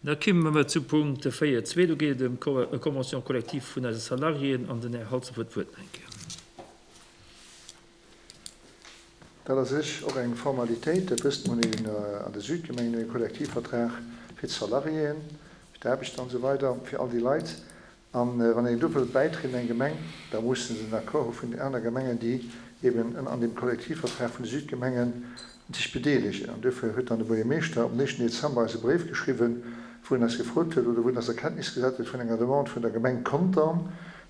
Da kimme mer zu Punkt 4.2. Do geet et ëm d'Convention collective vun eise Salariéen an den Här Halsdorf huet d'Wuert nach eng Kéier. Dat ass u sech och eng Formalitéit. Der wësst, mer hunn an de Südgemengen e Kollektivvertrag fir d'Salariéen, fir d'Aarbechter an esou weider, fir all déi Leit. A wann een do wëllt bäitrieden, eng Gemeng, da musse se den Accord hu vun den aner Gemengen, déi eben an deem Kollektivvertrag vun de Südgemenge sech bedeelegen. An duerfir huet dann de Buergermeeschter am éischten Dezember eis e Bréif geschriwwen, wou en eis gefrot huet oder wou en eis a Kenntnis gesat huet vun enger Demande vun der Gemeng Contern.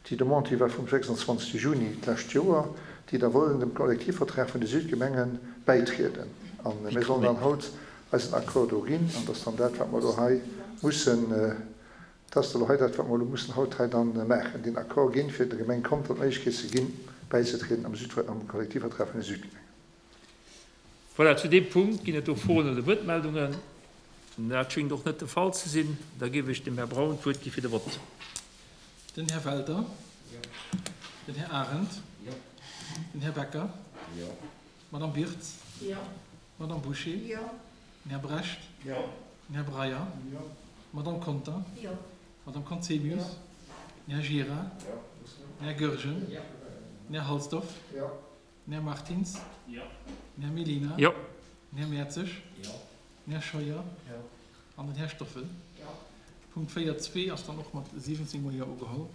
Déi Demande, déi war vum 26. Juni d'lescht Joer, déi da wollen dem Kollektivvertrag vun de Südgemenge bäitrieden. A mir sollen dann haut eisen Accord do ginn. An dat ass dann dat, wat mer elo hei mussen. Dat ass elo hei dat, wat mer elo mussen haut hei dann maachen, deen Accord ginn, fir der Gemeng Conter d'Méiglechkeet ze ginn, bäizetrieden am Süd, am Kollektivvertrag vun de Südgemengen. Voilà, zu deem Punkt ginn et do Froen oder Wuertmeldungen? Dat schéngt och net de Fall ze sinn. Da géif ech dem Här Braun d'Wuert gi fir de Vott. Den Här Welter. Den Här Arendt. Den Här Becker. D'Madame Wirtz. D'Madame Bouché. Den Här Brecht. Den Här Breyer. D'Madame Conter. D'Madame Conzemius. Den Här Gira. Den Här Goergen. Den Här Halsdorf. Den Här Martins. Den Här Mellina. Den Här Mertzig. Den Här Scheuer an den Här Stoffel. Punkt 4, zwee ass dann och mat 17 mol Jo ugeholl.